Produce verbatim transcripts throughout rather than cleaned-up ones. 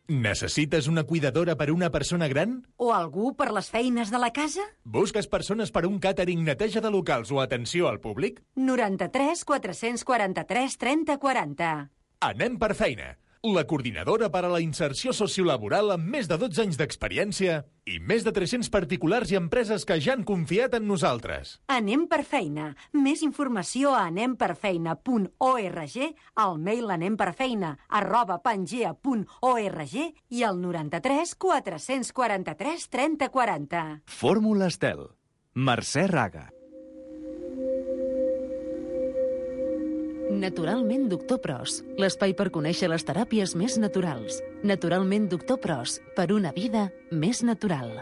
Necessites una cuidadora per una persona gran? O algú per les feines de la casa? Busques persones per un càtering, neteja de locals o atenció al públic? noranta-tres quatre-cents quaranta-tres trenta quaranta. Anem per feina. La coordinadora per a la inserció sociolaboral amb més de dotze anys d'experiència i més de tres-cents particulars i empreses que ja han confiat en nosaltres. Anem per feina. Més informació a anem per feina punt org, al mail anemperfeina arroba pangea punt org i al noranta-tres quatre-cents quaranta-tres trenta quaranta. Fórmula Estel. Mercè Raga. Naturalment Doctor Pros, l'espai per conèixer les teràpies més naturals. Naturalment Doctor Pros, per una vida més natural.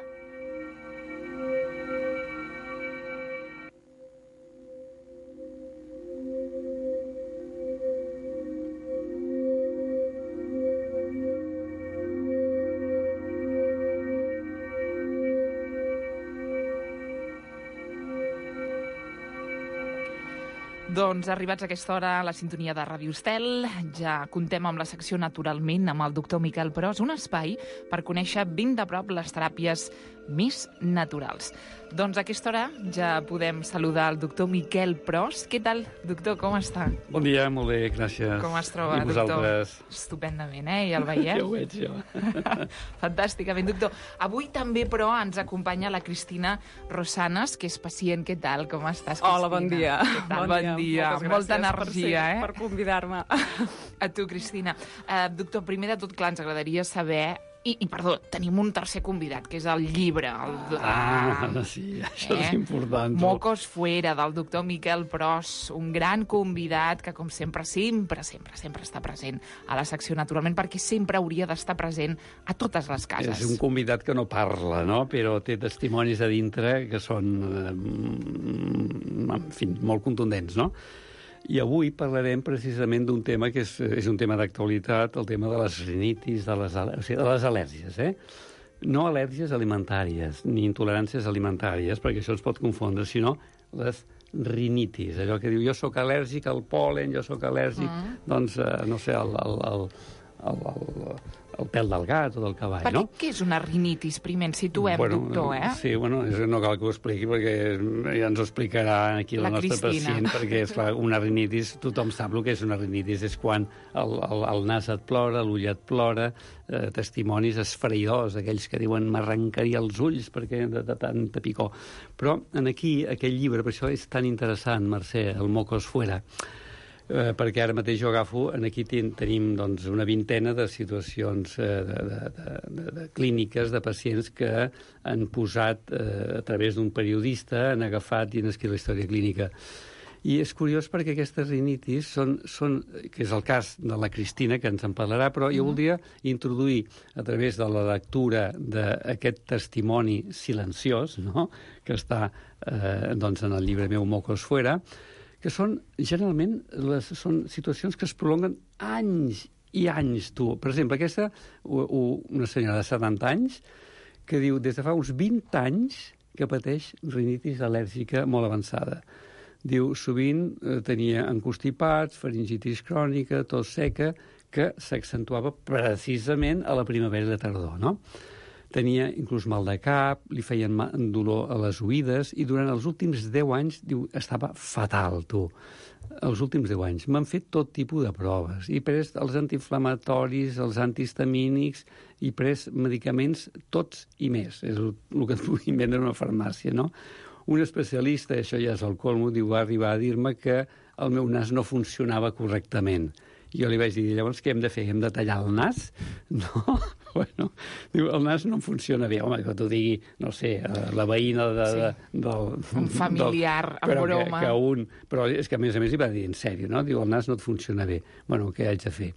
Doncs arribats a aquesta hora a la sintonia de Ràdio Estel, ja contem amb la secció Naturalment amb el doctor Miquel Pros, un espai per conèixer ben de prop les teràpies més naturals. Doncs a aquesta hora ja podem saludar el doctor Miquel Pros. Què tal, doctor, com està? Bon dia, molt bé, gràcies. Com es troba, I vosaltres? doctor? Estupendament, eh? Ja el veiem. Ja ho veig, jo. Fantàsticament, doctor. Avui també, però, ens acompanya la Cristina Rosanes, que és pacient. Què tal? Com estàs, Cristina? Hola, bon dia. Què tal? Bon, bon dia. Molta energia, per eh? Per convidar-me. A tu, Cristina. Uh, doctor, primer de tot, clar, ens agradaria saber... I, I, perdó, tenim un tercer convidat, que és el llibre. El, ah, ah, sí, això eh? és important. Mocos fuera, del doctor Miquel Pros, un gran convidat que, com sempre, sempre, sempre, sempre està present a la secció, naturalment, perquè sempre hauria d'estar present a totes les cases. És un convidat que no parla, no?, però té testimonis a dintre que són, eh, en fi, molt contundents, no? I avui parlarem precisament d'un tema que és, és un tema d'actualitat, el tema de les rinitis, de les, o sigui, de les al·lèrgies, eh? No al·lèrgies alimentàries, ni intoleràncies alimentàries, perquè això es pot confondre, sinó les rinitis, allò que diu, jo sóc al·lèrgic al pol·len, jo sóc al·lèrgic, mm. doncs, eh, no sé, al... al, al El, el, el pèl del gat o del cavall, perquè, no? Què és una rinitis? Primer ens situem, bueno, doctor, eh? Sí, bueno, no cal que ho expliqui perquè ja ens ho explicarà aquí la, la nostra Cristina. Pacient, perquè, esclar, una rinitis, tothom sap el que és una rinitis, és quan el, el, el nas et plora, l'ull et plora, eh, testimonis esfereïdors, aquells que diuen m'arrencaria els ulls perquè de, de tanta picor. Però en aquí, aquell llibre, per això és tan interessant, Mercè, el Mocos fuera, Eh, perquè ara mateix jo agafo, aquí ten, tenim doncs, una vintena de situacions eh, de, de, de, de, de clíniques de pacients que han posat eh, a través d'un periodista, han agafat i han escrit la història clínica. I és curiós perquè aquestes rinitis són, són, que és el cas de la Cristina, que ens en parlarà, però jo voldria introduir a través de la lectura d'aquest testimoni silenciós, no?, que està eh, doncs, en el llibre meu Mocos fuera, que són, generalment, les, són situacions que es prolonguen anys i anys, tu. Per exemple, aquesta, una senyora de setanta anys, que diu, des de fa uns vint anys que pateix rinitis al·lèrgica molt avançada. Diu, sovint eh, tenia encostipats, faringitis crònica, tos seca, que s'accentuava precisament a la primavera i la tardor, no? Tenia inclús mal de cap, li feien mal, dolor a les oïdes, i durant els últims deu anys, diu, estava fatal, tu. Els últims deu anys. M'han fet tot tipus de proves. He pres els antiinflamatoris, els antihistamínics, he pres medicaments tots i més. És el, el que et puguin vendre a una farmàcia, no? Un especialista, això ja és el colmo, diu, va arribar a dir-me que el meu nas no funcionava correctament. Jo li vaig dir, llavors què hem de fer? Hem de tallar el nas? No, bueno, diu, el nas no funciona bé. Home, que t'ho digui, no sé, la veïna de, sí. de, del... Un familiar, del, en broma. Que, que un, però és que, a més a més, hi va dir en sèrio, no? Diu, el nas no et funciona bé. Bueno, què haig de fer?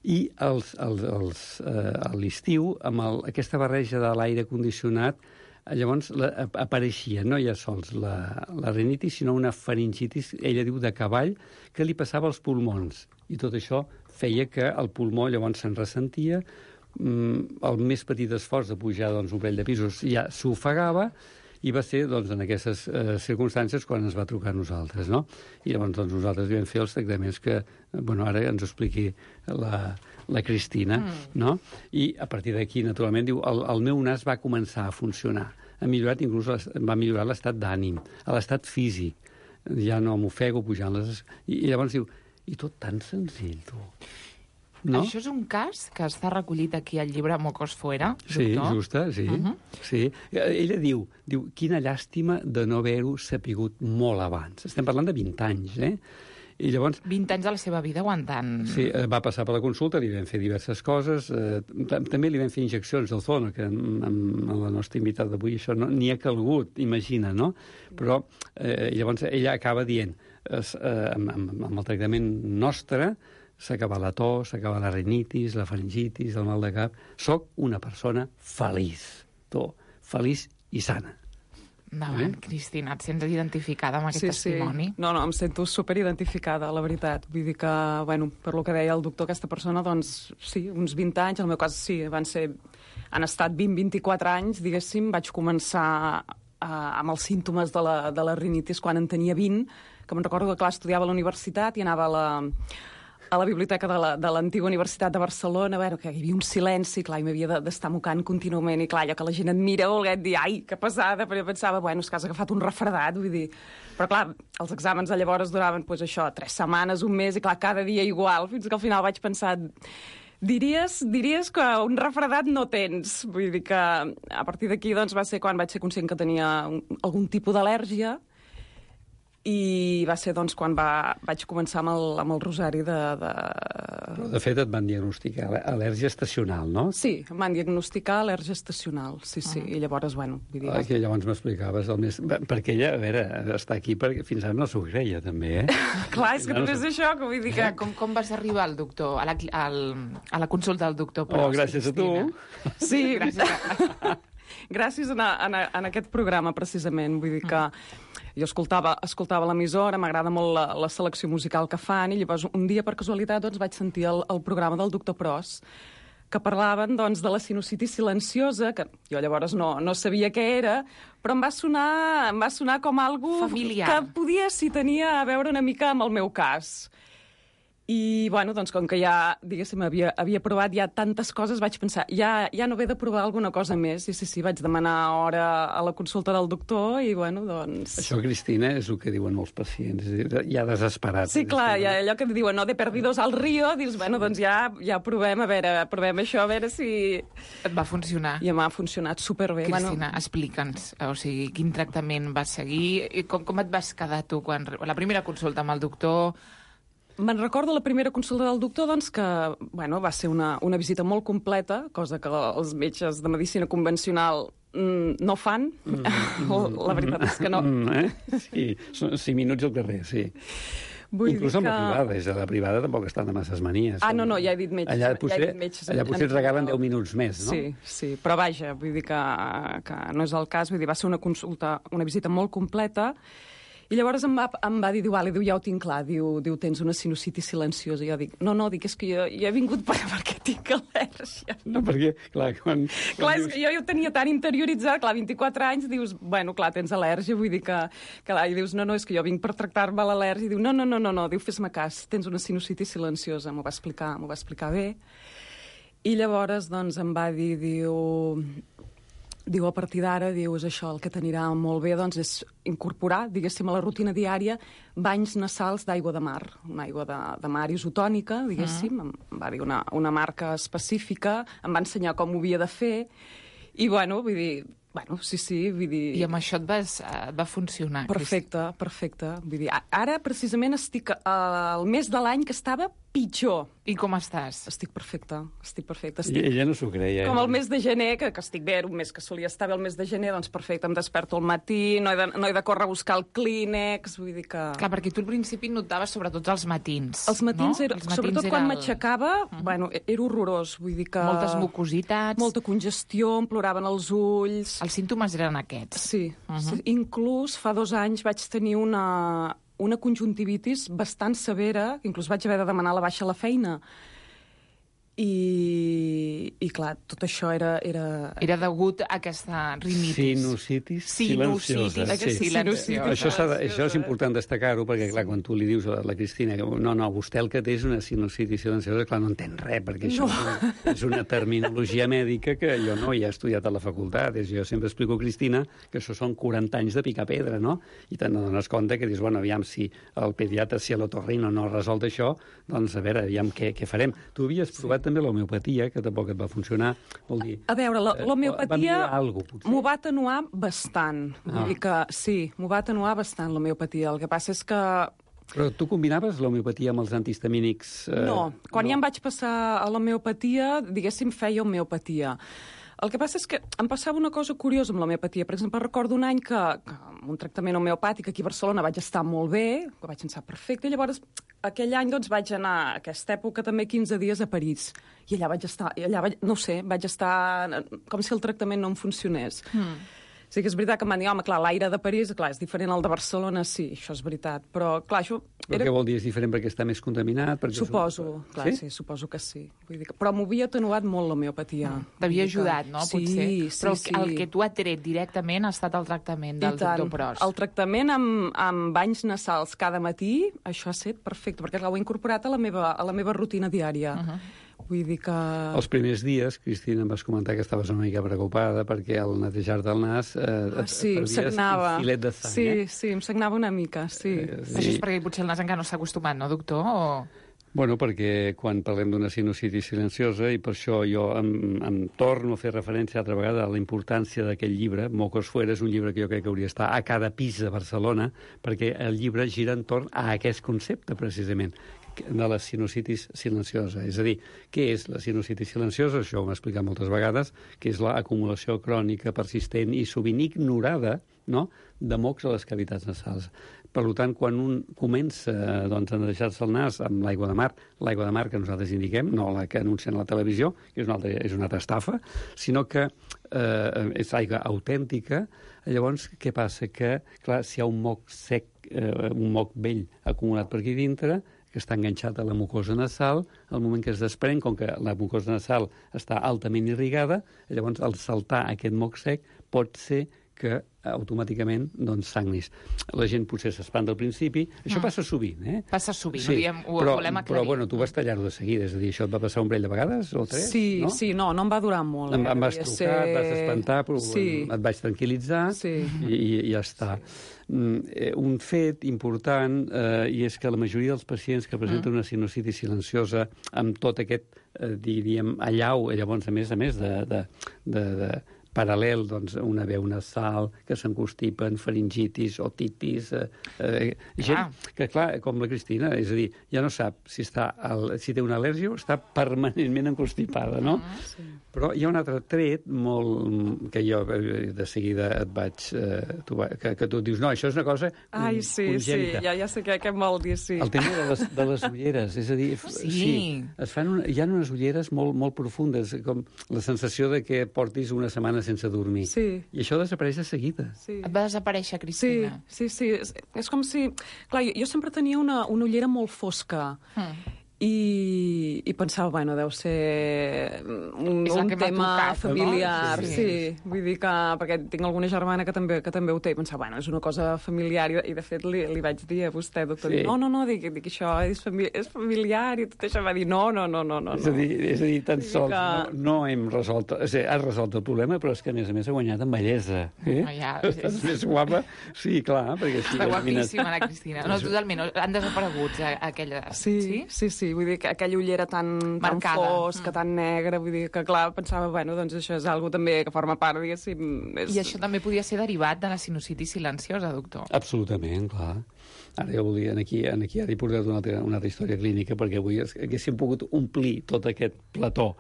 I els, els, els, eh, a l'estiu, amb el, aquesta barreja de l'aire condicionat, llavors la, apareixia no ja sols la, la rinitis, sinó una faringitis, ella diu, de cavall, que li passava als pulmons. I tot això feia que el pulmó llavors se'n ressentia, mm, el més petit esforç de pujar doncs, un parell de pisos ja s'ofegava, I va ser, doncs, en aquestes eh, circumstàncies quan ens va trucar a nosaltres, no? I llavors, doncs, nosaltres vam fer els tractaments que, bueno, ara ens ho expliqui la, la Cristina, mm. no? I a partir d'aquí, naturalment, diu, el, el meu nas va començar a funcionar. Ha millorat, inclús va millorar l'estat d'ànim, l'estat físic. Ja no m'ofego pujant les... I, I llavors diu, i tot tan senzill, tu. No? Això és un cas que està recollit aquí al llibre Mocos Fuera, sí, doctor? Justa, sí, uh -huh. sí. Ella diu, diu, quina llàstima de no haver-ho sapigut molt abans. Estem parlant de vint anys, eh? I llavors... vint anys de la seva vida aguantant... Sí, va passar per la consulta, li vam fer diverses coses, eh, també li vam fer injeccions d'Ozono, que amb, amb la nostra invitada d'avui això no, ni ha calgut, imagina, no? Però eh, llavors ella acaba dient, eh, amb, amb, amb el tractament nostre, s'acaba la tos, s'acaba la rinitis, la faringitis, el mal de cap. Soc una persona feliç, tu, feliç i sana. Endavant, eh? Cristina, et sents identificada amb aquest sí, testimoni? Sí. No, no, em sento superidentificada, la veritat. Vull dir que, bueno, per lo que deia el doctor, aquesta persona, doncs, sí, uns vint anys, en el meu cas, sí, van ser... Han estat vint a vint-i-quatre anys, diguéssim, vaig començar eh, amb els símptomes de la, de la rinitis quan en tenia vint, que me'n recordo que, clar, estudiava a la universitat i anava a la... a la biblioteca de l'antiga Universitat de Barcelona, bueno, que hi havia un silenci, clar, i m'havia d'estar mocant contínuament, i clar, allò que la gent et mira, volguet dir, ai, que pesada, però jo pensava, bueno, és que has agafat un refredat, vull dir... Però clar, els exàmens de llavors duraven, doncs això, tres setmanes, un mes, i clar, cada dia igual, fins que al final vaig pensar... Diries, diries que un refredat no tens. Vull dir que a partir d'aquí doncs, va ser quan vaig ser conscient que tenia un, algun tipus d'al·lèrgia, i va ser doncs, quan va, vaig començar amb el, amb el rosari de, de... Però de fet et van diagnosticar al·lèrgia estacional, no? Sí, em van diagnosticar al·lèrgia estacional, sí, sí, uh -huh. I llavors, bueno... Vull dir, ah, que llavors m'explicaves el més... Perquè ella, a veure, està aquí perquè fins ara no s'ho creia, també, eh? Clar, és que no és això, que vull dir que... Com, com vas arribar al doctor, a la, al, a la consulta del doctor Pros? Oh, gràcies Cristina. a tu. Sí, gràcies a... gràcies a, a, a aquest programa, precisament, vull dir que... Uh -huh. Jo escoltava, escoltava l'emissora, m'agrada molt la, la selecció musical que fan, i llavors un dia, per casualitat, doncs, vaig sentir el, el programa del doctor Pros, que parlaven doncs, de la sinusitis silenciosa, que jo llavors no, no sabia què era, però em va sonar, em va sonar com algo familiar, que podia, si tenia a veure una mica amb el meu cas. I, bueno, doncs, com que ja, diguéssim, havia, havia provat ja tantes coses, vaig pensar, ja, ja no ve de provar alguna cosa més. I sí, sí, vaig demanar hora a la consulta del doctor i, bueno, doncs... Això, Cristina, és el que diuen molts pacients, ja desesperats. Sí, clar, ja, allò que diuen, no, de perdidos al río, dius, bueno, doncs ja, ja provem, a veure, provem això, a veure si... Et va funcionar. I m'ha funcionat superbé. Cristina, bueno... explica'ns, o sigui, quin tractament vas seguir, i com, com et vas quedar tu quan... La primera consulta amb el doctor... Me'n recordo la primera consulta del doctor, doncs, que bueno, va ser una, una visita molt completa, cosa que els metges de medicina convencional mm, no fan. Mm. La veritat és que no. Mm, eh? Sí, són cinc minuts al carrer, sí. Vull Inclús amb que... la privada, és a la privada tampoc estan de masses manies. Ah, no, no, ja he dit metges. Allà potser, ja he dit metges allà potser et regalen deu minuts més, no? Sí, sí, però vaja, vull dir que, que no és el cas, vull dir, va ser una consulta, una visita molt completa. I llavors em va, em va dir, diu, Ale, diu, ja ho tinc clar, diu, diu, tens una sinusitis silenciosa. I jo dic, no, no, dic, és que jo, jo he vingut per, perquè tinc al·lèrgia. No, perquè, clar, quan... Clar, és que jo ho tenia tan interioritzat, clar, vint-i-quatre anys, dius, bueno, clar, tens al·lèrgia, vull dir que... Clar, i dius, no, no, és que jo vinc per tractar-me l'al·lèrgia. I diu, no, no, no, no, no, diu, fes-me cas, tens una sinusitis silenciosa. M'ho va explicar, m'ho va explicar bé. I llavors, doncs, em va dir, diu... Diu, a partir d'ara, diu, és això, el que t'anirà molt bé, doncs, és incorporar, diguéssim, a la rutina diària, banys nasals d'aigua de mar, una aigua de, de mar isotònica, diguéssim, mm. em va dir una, una marca específica, em va ensenyar com ho havia de fer, i, bueno, vull dir, bueno, sí, sí, vull dir... I amb això et, vas, et va funcionar. Perfecte, perfecte. Vull dir, ara, precisament, estic al mes de l'any que estava pitjor. I com estàs? Estic perfecta, estic perfecta. Estic... I ella no s'ho creia. Com el mes de gener, que, que estic bé, un mes que solia estar bé el mes de gener, doncs perfecte, em desperto al matí, no he de, no he de córrer a buscar el clínex, vull dir que... Clar, perquè tu al principi notaves sobretot els matins, Els matins, no? era, els matins sobretot era quan el... m'aixecava, uh -huh. bueno, era horrorós, vull dir que... Moltes mucositats... Molta congestió, em ploraven els ulls... Els símptomes eren aquests. Sí, uh -huh. sí. Inclús fa dos anys vaig tenir una... una conjuntivitis bastant severa, inclús vaig haver de demanar la baixa a la feina. I, i clar, tot això era... Era, era degut a aquesta rinitis. Sinusitis silenciosa. Sinusitis sí. silenciosa. Això, de, això és important destacar-ho, perquè clar, quan tu li dius a la Cristina que no, no, vostè el que té és una sinusitis silenciosa, clar, no entén res, perquè això no. és, una, és una terminologia mèdica que jo no hi he estudiat a la facultat. És, jo sempre explico a Cristina que això són quaranta anys de picar pedra, no? I te'n dones compte que dius, bueno, aviam, si el pediatre, si l'otorrino no ha resolt això, doncs a veure, aviam què, què farem. Tu havies provat també l'homeopatia, que tampoc et va funcionar, vol dir... A veure, l'homeopatia m'ho va atenuar bastant. Ah. Vull dir que sí, m'ho va atenuar bastant, l'homeopatia. El que passa és que... Però tu combinaves l'homeopatia amb els antihistamínics? Eh... No, quan no. ja em vaig passar a l'homeopatia, diguéssim, feia homeopatia. El que passa és que em passava una cosa curiosa amb l'homeopatia. Per exemple, recordo un any que, que amb un tractament homeopàtic aquí a Barcelona vaig estar molt bé, que vaig pensar perfecte, i llavors aquell any doncs, vaig anar, a aquesta època, també quinze dies a París. I allà vaig estar, i allà vaig, no ho sé, vaig estar com si el tractament no em funcionés. Mm. Sí que és veritat que em van dir, home, clar, l'aire de París, clar, és diferent al de Barcelona, sí, això és veritat. Però, clar, això... Però era... què vol dir? És diferent perquè està més contaminat? Perquè suposo, és... clar, sí? sí, suposo que sí. Vull dir que... Però m'havia atenuat molt l'homeopatia. Mm. T'havia ajudat, no? Sí, potser. sí, Però sí. el que tu ha tret directament ha estat el tractament del doctor Pros. El tractament amb, amb banys nasals cada matí, això ha estat perfecte, perquè l'ho he incorporat a la meva, a la meva rutina diària. Uh-huh. Vull dir que... Els primers dies, Cristina, em vas comentar que estaves una mica preocupada perquè al netejar-te el nas eh, ah, sí, et perdies un filet de sang. Sí, eh? sí, em sagnava una mica, sí. Eh, sí. Això és perquè potser el nas encara no s'ha acostumat, no, doctor? O... Bueno, perquè quan parlem d'una sinusitis silenciosa, i per això jo em, em torno a fer referència altra vegada a la importància d'aquest llibre, Mocos Fuera, és un llibre que jo crec que hauria d'estar a cada pis de Barcelona, perquè el llibre gira entorn a aquest concepte, precisament, de la sinusitis silenciosa. És a dir, què és la sinusitis silenciosa? Això ho hem explicat moltes vegades, que és l'acumulació crònica, persistent i sovint ignorada, no?, de mocs a les cavitats nasals. Per tant, quan un comença doncs, a netejar-se el nas amb l'aigua de mar, l'aigua de mar que nosaltres indiquem, no la que anuncien a la televisió, que és una altra, és una altra estafa, sinó que eh, és aigua autèntica, llavors què passa? Que, clar, si hi ha un moc sec, eh, un moc vell acumulat per aquí dintre, que està enganxat a la mucosa nasal, al moment que es desprèn, com que la mucosa nasal està altament irrigada, llavors al saltar aquest moc sec pot ser que automàticament doncs, sagnis. La gent potser s'espanta al principi. Això mm. passa sovint, eh? Passa sovint, sí, ho, diem, ho però, volem aclarir. Però, bueno, tu vas tallar-ho de seguida, és a dir, això et va passar un parell de vegades o tres, sí, no? Sí, no, no em va durar molt. Em, eh? em vas trucar, ser... et vas espantar, però sí. et vaig tranquil·litzar sí. i, i ja està. Sí. Un fet important, eh, i és que la majoria dels pacients que presenten mm. una sinusitis silenciosa amb tot aquest, eh, diríem, allau, llavors, a més a més de... de, de, de paral·lel, doncs, una veu nasal, que s'encostipen, faringitis, otitis... Eh, eh, gent ah. que, clar, com la Cristina, és a dir, ja no sap si, està al, si té una al·lèrgia o està permanentment encostipada, no? Ah, sí. Però hi ha un altre tret molt, que jo de seguida et vaig... Eh, tu, que, que tu dius, no, això és una cosa Ai, sí, congènita. Sí, ja, ja sé què, què em vol dir, sí. El tema de les, de les ulleres, és a dir... Oh, sí. sí es fan una, hi ha unes ulleres molt, molt profundes, com la sensació de que portis una setmana sense dormir. Sí. I això desapareix de seguida. Sí. Et va desaparèixer, Cristina? Sí, sí, sí. És, és com si... Clar, jo, jo sempre tenia una, una ullera molt fosca. Mm. I, i pensava, bueno, deu ser un, un tema familiar, no? sí. sí. Vull dir que, perquè tinc alguna germana que també, que també ho té, i pensava, bueno, és una cosa familiar, i, i de fet li, li vaig dir a vostè, doctor, sí. no, no, no, dic, dic això és, famili és familiar, i tot això va dir, no, no, no, no, no. És a dir, és a dir tan sols que... no, no hem resolt, és a dir, has resolt el problema, però és que a més a més ha guanyat en bellesa. Eh? Oh, ja, Estàs és... més guapa? Sí, clar, perquè... Està guapíssima, la Cristina. No, totalment, han desaparegut aquelles... Sí, sí, sí, sí. Vull dir que aquella ullera tan, tan fosca, mm. tan negra, vull dir que, clar, pensava, bueno, doncs això és algo també que forma part, diguéssim... És... I això també podia ser derivat de la sinusitis silenciosa, doctor? Absolutament, clar. Ara jo volia, aquí, aquí ara he portat una altra, una altra història clínica, perquè avui haguéssim pogut omplir tot aquest plató,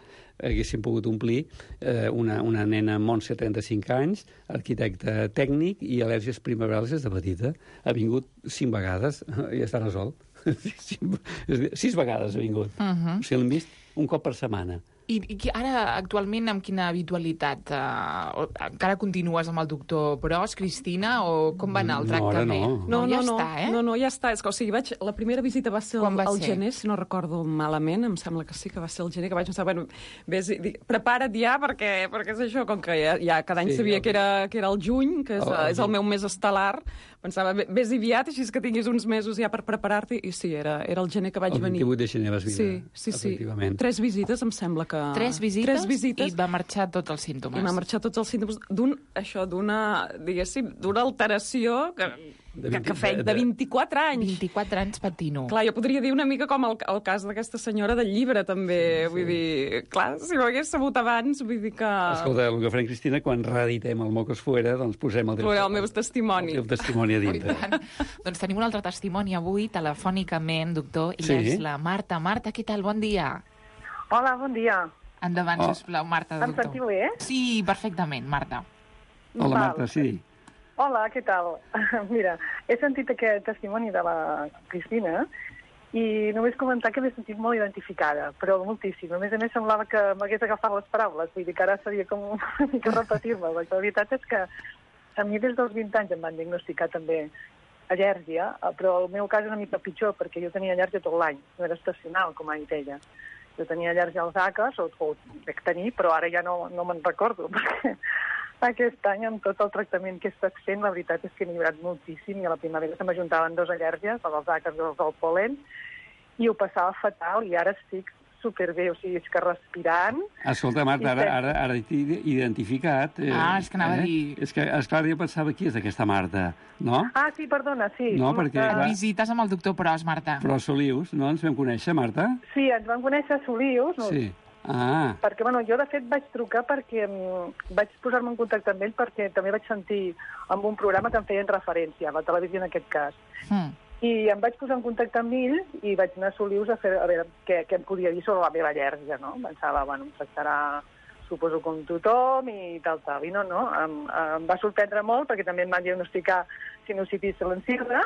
haguéssim pogut omplir eh, una, una nena Montse, trenta-cinc anys, arquitecte tècnic i al·lèrgies primaverals des de petita. Ha vingut cinc vegades i ja està resolt. Sis vegades ha vingut. Uh -huh. O sigui, l'hem vist un cop per setmana. I, i ara, actualment, amb quina habitualitat? Uh, encara continues amb el doctor Pros, Cristina, o com va anar el tractament? No, no, no, ja no, està, eh? no, no, ja està. És que, o sigui, vaig, la primera visita va ser Quan va al ser? gener, si no recordo malament, em sembla que sí, que va ser el gener, que vaig pensar, bueno, vés, dic, prepara't ja, perquè, perquè és això, com que ja, ja cada any Sí, sabia el- que era, que era el juny, que és, El- el és el juny. meu mes estel·lar, pensava, vés aviat, així que tinguis uns mesos ja per preparar-t'hi, i sí, era, era el gener que vaig El venir. vint-i-vuit de gener vas vindre, Sí, sí, sí. efectivament. Tres visites, em sembla que... Tres visites, Tres visites. i et va marxar tots els símptomes. I m'ha marxat tots els símptomes d'un, això, d'una, diguéssim, d'una alteració que, De que, vint- que feia de- de vint-i-quatre anys. vint-i-quatre anys patint-ho. Clar, jo podria dir una mica com el, el cas d'aquesta senyora del llibre, també. Sí, vull dir, clar, si ho hagués sabut abans, vull dir que... Escolta, el que farem, Cristina, quan reeditem el Mocos Fuera, doncs posem el teu, Posaré el meu testimoni. el teu testimoni a I dintre. tant. Doncs tenim un altre testimoni avui, telefònicament, doctor, i Sí. és la Marta. Marta, què tal? Bon dia. Hola, bon dia. Endavant, Oh. sisplau, Marta, Em doctor. sentiu bé? Sí, perfectament, Marta. Hola, Val. Marta, sí. Hola, què tal? Mira, he sentit aquest testimoni de la Cristina i només comentar que m'he sentit molt identificada, però moltíssim. A més a més, semblava que m'hagués agafat les paraules, vull dir que ara seria com una mica repetir-me. La veritat és que a mi des dels vint anys em van diagnosticar també al·lèrgia, però el meu cas és una mica pitjor, perquè jo tenia al·lèrgia tot l'any, no era estacional, com ha dit ella. Jo tenia al·lèrgia als àcars, o, o dec tenir, però ara ja no, no me'n recordo, perquè aquest any, amb tot el tractament que he estat fent, la veritat és que he millorat moltíssim, i a la primavera se m'ajuntaven dos al·lèrgies, la dels àcars i els del pol·len, i ho passava fatal, i ara estic superbé, o sigui, és que respirant... Escolta, Marta, ara, ara, ara t'he identificat. Eh, Ah, és que anava a eh? dir- És que, esclar, jo pensava, qui és aquesta Marta, no? Ah, sí, perdona, sí. No, perquè- Eh, clar. Visites amb el doctor Pros, Marta. Però Solius, no ens vam conèixer, Marta? Sí, ens vam conèixer a Solius, no? Sí. Ah, Perquè, bueno, jo de fet vaig trucar perquè mm, vaig posar-me en contacte amb ell perquè també vaig sentir amb un programa que em feien referència, a la televisió en aquest cas. Mm. I em vaig posar en contacte amb ell i vaig anar a Solius a, fer, a veure què, què em podia dir sobre la meva al·lèrgia, no? Pensava, bueno, em tractarà, suposo, com tothom i tal, tal. I no, no, em, em va sorprendre molt perquè també em van diagnosticar sinusitis silenciosa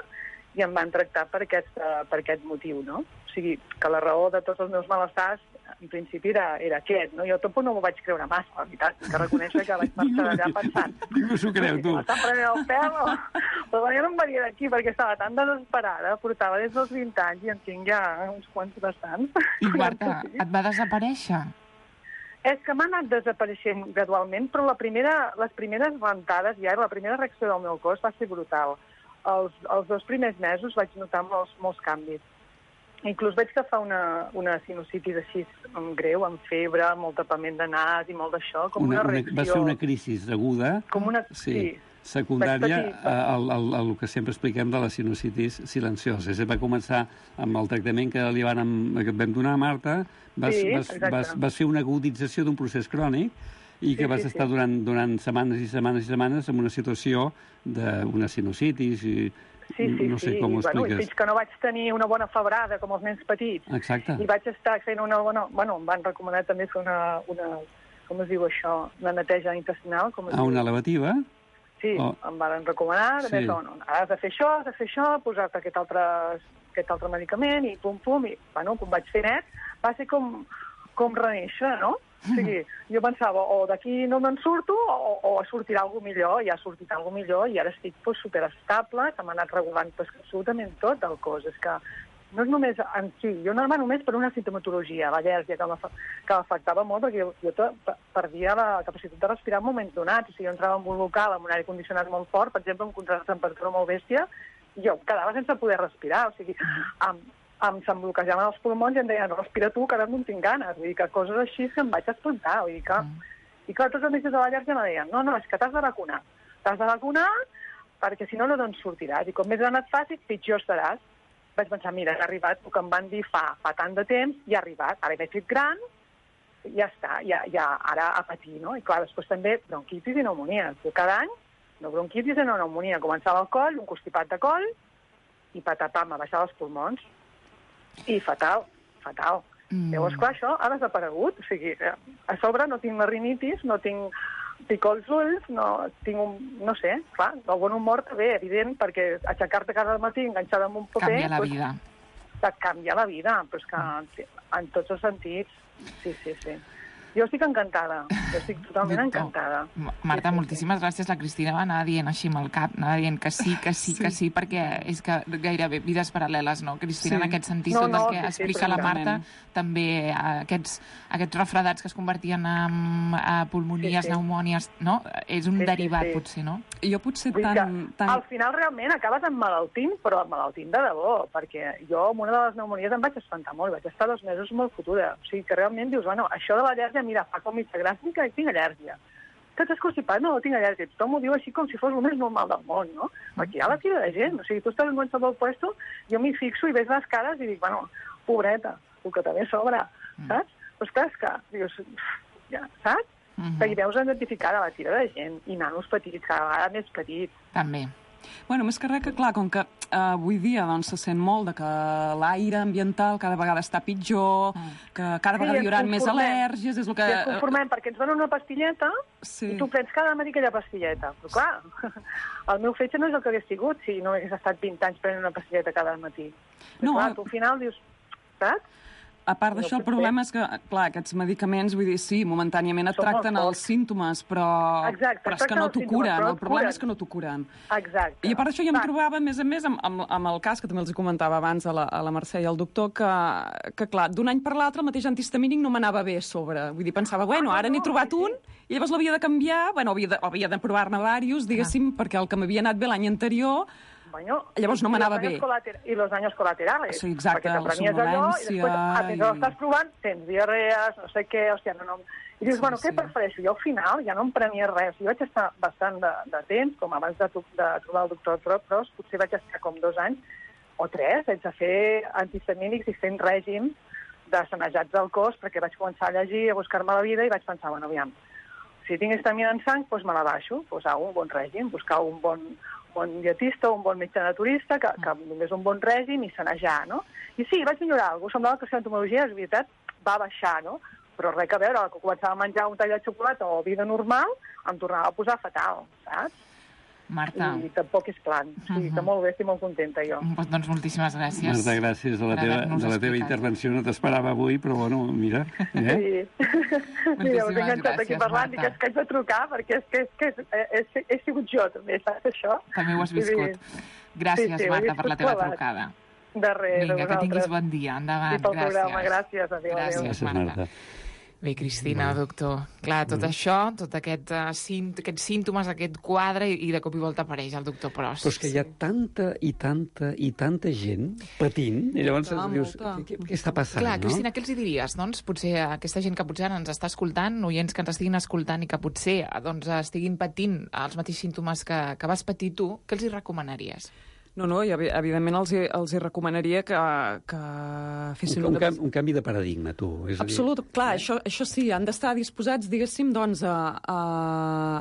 i em van tractar per aquest, uh, per aquest motiu, no? O sigui, que la raó de tots els meus malestars, en principi, era, era aquest, no? Jo tampoc no m'ho vaig creure massa, la veritat, que reconèixer que vaig marxar allà pensant... ningú s'ho creu, tu. M'estan prenent el pèl, o... però jo no em venia d'aquí perquè estava tan desesperada, portava des dels vint anys i en tinc ja uns quants bastants. I, Marta, et va desaparèixer? És que m'ha anat desapareixent gradualment, però la primera, les primeres ventades ja, la primera reacció del meu cos va ser brutal. Els, els dos primers mesos vaig notar molts, molts canvis. Inclús vaig agafar una, una sinusitis així greu, amb febre, molt tapament de nas i molt d'això, com una, Una, una, reacció... va ser una crisi aguda, Com una... sí, sí. secundària Vaig patir- al, al, al que sempre expliquem de la sinusitis silenciosa. És a dir, va començar amb el tractament que li van, que et vam donar a Marta, vas, Sí, vas, exacte. vas, vas fer una agudització d'un procés crònic i que Sí, vas sí, estar sí. durant, durant setmanes i setmanes i setmanes en una situació d'una sinusitis i Sí, sí, no sé sí. com ho I, bueno, i expliques. fins que no vaig tenir una bona febrada, com els nens petits, Exacte. i vaig estar fent una bona... Bueno, em van recomanar també fer una... una com es diu això? Una neteja intestinal? Com es A diu? una elevativa? Sí, Oh. em van recomanar, Sí. sí. no, no, has de fer això, has de fer això, posar-te aquest altre, aquest altre medicament, i pum, pum, i, bueno, com vaig fer net, va ser com, com renéixer, no? O sigui, jo pensava, o d'aquí no me'n surto, o, o sortirà alguna millor, i ha sortit alguna millor, i ara estic pues, superestable, que m'ha anat regulant pues, absolutament tot el cos. És que no és només en si, jo no anava només per una sintomatologia, l'al·lèrgia, que m'afa- que m'afectava molt, perquè jo, jo to- pe- perdia la capacitat de respirar en moments donats. O sigui, jo entrava en un local amb un aire condicionat molt fort, per exemple, amb contrast de temperatura molt bèstia, i jo quedava sense poder respirar. O sigui, em, em se'm bloquejaven els pulmons i em deien, respira tu, que ara no en tinc ganes. Vull dir que coses així que em vaig espantar. Vull dir que... Mm. I clar, tots els metges de l'al·lèrgia me deien, no, no, és que t'has de vacunar. T'has de vacunar perquè si no, no te'n sortiràs. I com més gran et facis, pitjor estaràs. Vaig pensar, mira, ha arribat el que em van dir fa, fa tant de temps, i ha arribat. Ara m'he fet gran, ja està, ja, ja ara a patir, no? I clar, després també bronquitis i pneumonies. Jo cada any, no bronquitis i no pneumonia. Començava el coll, un constipat de coll, i patapam, a baixar els pulmons. I fatal, fatal. Mm. Llavors, clar, això ha desaparegut. O sigui, a sobre no tinc la rinitis, no tinc picor als ulls, no tinc un... no sé, clar, el bon humor també, evident, perquè aixecar-te cada matí enganxada amb un paper... Canvia la doncs, vida. et canvia la vida, però és que en tots els sentits, sí, sí, sí. Jo estic encantada, jo estic totalment encantada. Marta, moltíssimes gràcies. La Cristina va anar dient així amb el cap, anava dient que sí, que sí, que sí, perquè és que gairebé vides paral·leles, no, Cristina, en aquest sentit, tot el que explica la Marta, també aquests, aquests refredats que es convertien en pulmonies, pneumònies, no? És un derivat, potser, no? Jo potser tant... Al final realment acabes emmalaltint, però emmalaltint de debò, perquè jo amb una de les pneumonies em vaig espantar molt, vaig estar dos mesos molt fotuda. O sigui que realment dius, bueno, això de l'al·lèrgia, mira, fa com mitja gràcia que tinc al·lèrgia. Que t'has constipat? No, tinc al·lèrgia. Tothom ho diu així com si fos el més normal del món, no? Perquè hi ha la tira de gent. O sigui, tu estàs en qualsevol puesto, jo m'hi fixo i veig les cares i dic, bueno, pobreta, el que també sobra, saps? Però esclar, és que, dius, ja, saps? Que hi veus identificada la tira de gent i nanos petits, cada vegada més petits. També. Bueno, més que res que, clar, com que eh, avui dia doncs, se sent molt de que l'aire ambiental cada vegada està pitjor, mm. que cada vegada sí, hi haurà més al·lèrgies... És el que... Sí, ens conformem, perquè ens donen una pastilleta sí. i tu prens cada matí aquella pastilleta. Però, clar, el meu fetge no és el que hagués sigut si no hagués estat vint anys prenent una pastilleta cada matí. No, clar, tu al final dius, saps? A part d'això, el problema és que, clar, aquests medicaments, vull dir, sí, momentàniament et tracten els símptomes, però, Exacte, però és que no t'ho curen. El problema és que no t'ho curen. Exacte. I a part d'això jo em trobava, a més a més, amb, amb, amb el cas, que també els comentava abans a la, a la Mercè i al doctor, que, que clar, d'un any per l'altre el mateix antihistamínic no m'anava bé a sobre. Vull dir, pensava, bueno, ara n'he trobat un, i llavors l'havia de canviar, bueno, havia de, havia de provar-ne diversos, diguéssim, perquè el que m'havia anat bé l'any anterior... Bueno, llavors no m'anava bé. I los daños colaterales. Sí, exacte, la somnolència... I després, a més, estàs provant, tens diarrees, no sé què, hòstia, no, no... I dius, sí, bueno, què sí. prefereixo? Jo al final ja no em prenia res. Jo vaig estar bastant de, de temps, com abans de, de trobar el doctor Pros, potser vaig estar com dos anys o tres, sense fer antihistamínics i fent règim de sanejats del cos, perquè vaig començar a llegir, a buscar-me la vida i vaig pensar, bueno, aviam, si tinc histamina en sang, doncs me la baixo, posar un bon règim, buscar un bon... bon dietista o un bon metge naturista que, que donés un bon règim i sanejar, no? I sí, vaig millorar alguna cosa. Semblava que la entomologia, és veritat, va baixar, no? Però res a veure, que començava a menjar un tall de xocolata o vida normal, em tornava a posar fatal, saps? Marta. I tampoc és plan. O sigui, que molt bé, estic molt contenta, jo. Pues, doncs moltíssimes gràcies. Marta, gràcies de la teva, de la teva intervenció. No t'esperava avui, però bueno, mira. Eh? Sí. Mira, us he enganxat aquí parlant i que és que haig de trucar, perquè és que, és que és, és, he sigut jo, també, saps això? També ho has viscut. Gràcies, sí, sí, Marta, per la teva clavat. trucada. De res, Vinga, que tinguis bon dia. Endavant, sí, pel gràcies. Programa. Gràcies, adéu, gràcies, adéu. gràcies, Marta. Bé, Cristina, bueno. doctor, clar, tot mm. això, tot aquest, uh, símt aquests símptomes, aquest quadre, i, i de cop i volta apareix el doctor Pros. Però és que hi ha tanta i tanta i tanta gent patint, i llavors molta, dius, què, què està passant, clar, no? Cristina, què els hi diries? Doncs potser aquesta gent que potser ens està escoltant, oients que ens estiguin escoltant i que potser doncs, estiguin patint els mateixos símptomes que, que vas patir tu, què els hi recomanaries? No, no, i evidentment els hi, els hi recomanaria que, que fessin... Un, un, canvi, un canvi de paradigma, tu. És Absolut, a dir... clar, això, això sí, han d'estar disposats, diguéssim, doncs, a, a,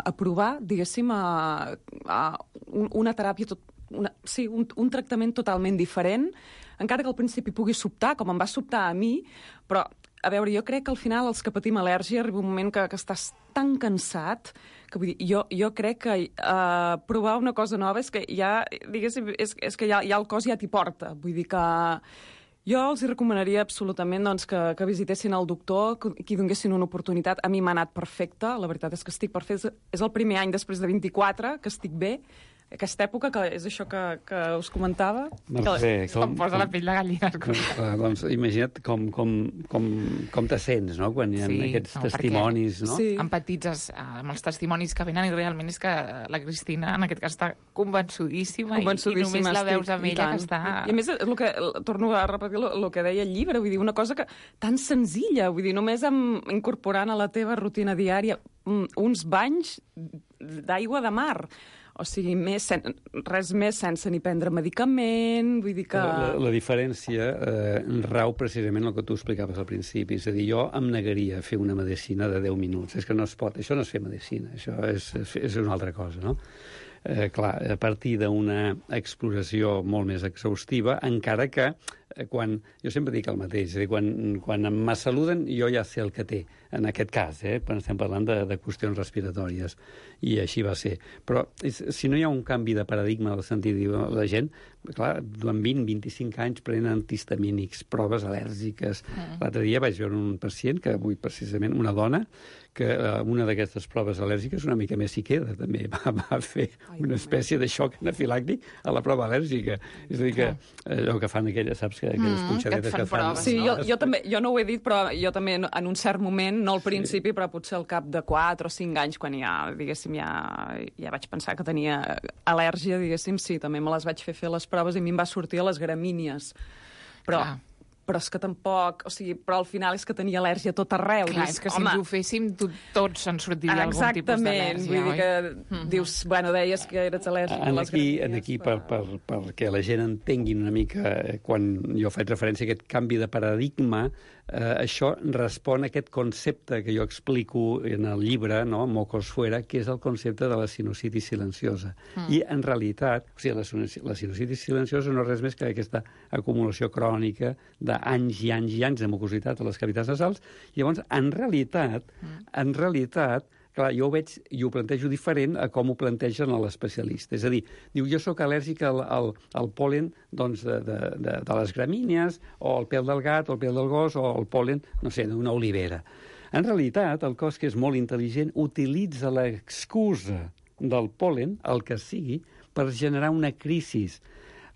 a provar, diguéssim, a, a un, una teràpia, tot, una, sí, un, un tractament totalment diferent, encara que al principi pugui sobtar, com em va sobtar a mi, però, a veure, jo crec que al final els que patim al·lèrgia arriba un moment que, que estàs tan cansat que vull dir, jo, jo crec que uh, provar una cosa nova és que ja, diguéssim, és, és que ja, ja el cos ja t'hi porta. Vull dir que jo els hi recomanaria absolutament doncs, que, que visitessin el doctor, que, que hi donguessin una oportunitat. A mi m'ha anat perfecte, la veritat és que estic perfecte. És el primer any després de vint-i-quatre que estic bé. Aquesta època, que és això que, que us comentava... Mercè, que em posa la pell de gallina. Com, doncs, imagina't com, com, com, com te sents, no?, quan hi ha sí, aquests no, testimonis, no? Sí. Empatitzes amb els testimonis que venen i realment és que la Cristina, en aquest cas, està convençudíssima, convençudíssima i, i només la veus amb ella que està... I a més, el que, torno a repetir el que deia el llibre, vull dir, una cosa que tan senzilla, vull dir, només amb, incorporant a la teva rutina diària uns banys d'aigua de mar. O sigui, més, sen, res més sense ni prendre medicament, vull dir que... La, la, la diferència eh, rau precisament el que tu explicaves al principi. És a dir, jo em negaria a fer una medicina de deu minuts. És que no es pot. Això no és fer medicina, això és, és una altra cosa, no? Eh, clar, a partir d'una exploració molt més exhaustiva, encara que quan... Jo sempre dic el mateix, és a dir, quan, quan me saluden jo ja sé el que té, en aquest cas, eh? Quan estem parlant de, de qüestions respiratòries, i així va ser. Però és, si no hi ha un canvi de paradigma en el sentit de la gent, clar, durant vint a vint-i-cinc anys prenen antihistamínics, proves al·lèrgiques. Mm. L'altre dia vaig veure un pacient, que avui precisament una dona, que eh, una d'aquestes proves al·lèrgiques una mica més s'hi queda, també va, va fer una espècie de xoc anafilàctic a la prova al·lèrgica. És a dir, que allò que fan aquelles, saps, que aquelles mm, punxadetes que, que fan... Proves, sí, no? jo, jo, també, jo no ho he dit, però jo també en un cert moment, no al principi, sí. però potser al cap de quatre o cinc anys, quan ja, diguéssim, ja, ja vaig pensar que tenia al·lèrgia, diguéssim, sí, també me les vaig fer fer les proves i a mi em va sortir a les gramínies. Però... Ah. però és que tampoc... O sigui, però al final és que tenia al·lèrgia a tot arreu. Clar, dius, és que si ens ho féssim, tot, tots ens sortiria algun tipus d'al·lèrgia, vull dir que mm-hmm. dius, bueno, deies que eres al·lèrgic a les gramínies. En aquí, per, per, perquè la gent entengui una mica, quan jo faig referència a aquest canvi de paradigma, eh, això respon a aquest concepte que jo explico en el llibre, no?, Mocos fuera, que és el concepte de la sinusitis silenciosa. Mm. I, en realitat, o sigui, la, la sinusitis silenciosa no és res més que aquesta acumulació crònica de anys i anys i anys de mucositat a les cavitats nasals, i llavors, en realitat, mm. en realitat, clar, jo ho veig i ho plantejo diferent a com ho plantegen l'especialista. És a dir, diu, jo sóc al·lèrgic al, al, al pol·len doncs, de, de, de, de les gramínies, o al pèl del gat, o al pèl del gos, o al pol·len, no sé, d'una olivera. En realitat, el cos, que és molt intel·ligent, utilitza l'excusa del pol·len, el que sigui, per generar una crisi.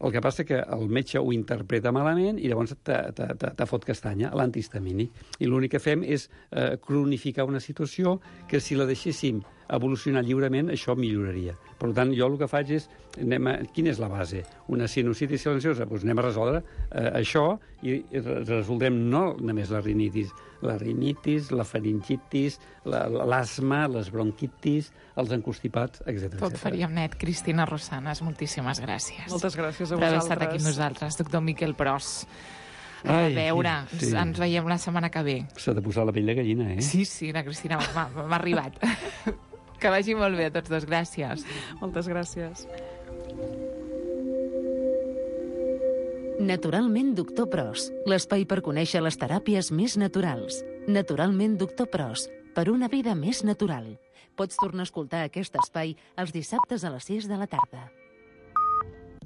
El que passa que el metge ho interpreta malament i llavors te, te, te, te fot castanya, l'antihistamínic. I l'únic que fem és eh, cronificar una situació que, si la deixéssim evolucionar lliurement, això milloraria. Per tant, jo el que faig és... Anem a, quina és la base? Una sinusitis silenciosa? Doncs anem a resoldre eh, això i resoldrem no només la rinitis, la rinitis, la faringitis, l'asma, les bronquitis, els encostipats, etcètera. Tot faríem net. Cristina Rossanes, moltíssimes gràcies. Moltes gràcies a vosaltres. Per haver estat aquí amb nosaltres. Doctor Miquel Pros. A Ai, veure, sí. ens veiem la setmana que ve. S'ha de posar la pell de gallina, eh? Sí, sí, la Cristina m'ha arribat. Que vagi molt bé a tots dos. Gràcies. Moltes gràcies. Naturalment Doctor Pros, l'espai per conèixer les teràpies més naturals. Naturalment Doctor Pros, per una vida més natural. Pots tornar a escoltar aquest espai els dissabtes a les sis de la tarda.